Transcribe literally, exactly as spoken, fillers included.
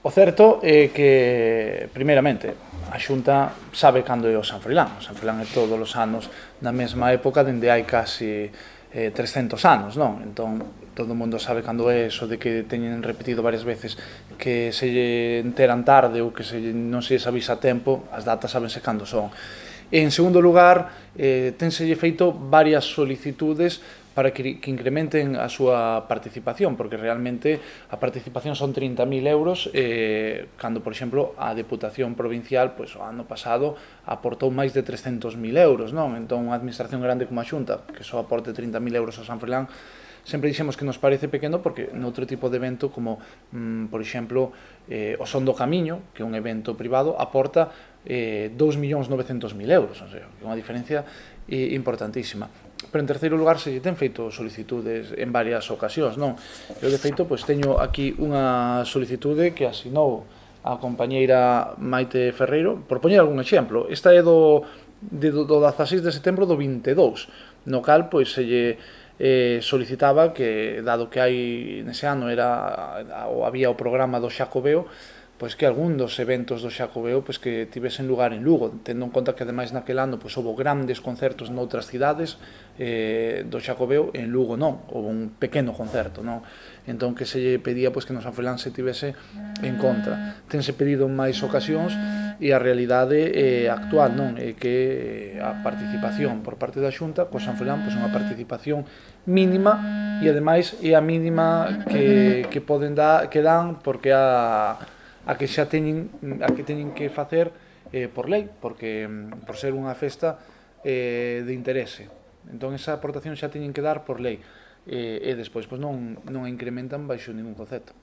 O certo é que, primeiramente, a Xunta sabe cando é o San Froilán. O San Froilán é todos os anos na mesma época, dende hai casi eh, trescentos anos, non? Entón, todo o mundo sabe cando é eso de que teñen repetido varias veces que se lle enteran tarde ou que se non se lles avisa a tempo, as datas sabense cando son. En segundo lugar, eh, tenselle feito varias solicitudes para que, que incrementen a súa participación, porque realmente a participación son trinta mil euros, eh, cando, por exemplo, a Deputación Provincial, pois, o ano pasado, aportou máis de trescentos mil euros, non? Entón, unha administración grande como a Xunta, que só aporte trinta mil euros ao San Froilán, sempre dixemos que nos parece pequeno porque noutro tipo de evento como, mm, por exemplo, eh, o Son do Camiño, que é un evento privado, aporta eh, dous millóns novecentos mil euros, o sea, que é unha diferencia eh, importantísima. Pero en terceiro lugar se lle ten feito solicitudes en varias ocasións, non? Eu de feito pois teño aquí unha solicitude que asinou a compañeira Maite Ferreiro, por poñer algún exemplo. Esta é do de, do dezaseis de setembro do vinte e dous, no cal pois se lle eh, solicitaba que, dado que hai nese ano era ou había o programa do Xacobeo, pois que algún dos eventos do Xacobeo pois que tivesen lugar en Lugo, tendo en conta que ademais naquel ano pois houve grandes concertos noutras cidades eh, do Xacobeo, en Lugo non, houve un pequeno concerto, non? Entón que se lle pedía pois que no San Froilán se tivese en contra. Tense pedido en máis ocasións e a realidade eh, actual non é que a participación por parte da Xunta co San Froilán pois é unha participación mínima e ademais é a mínima que, que poden dar, que dan porque a a que xa teñen a que teñen que facer eh, por lei, porque por ser unha festa eh, de interese. Entón esa aportación xa teñen que dar por lei eh, e despois pois non non a incrementan baixo ningún concepto.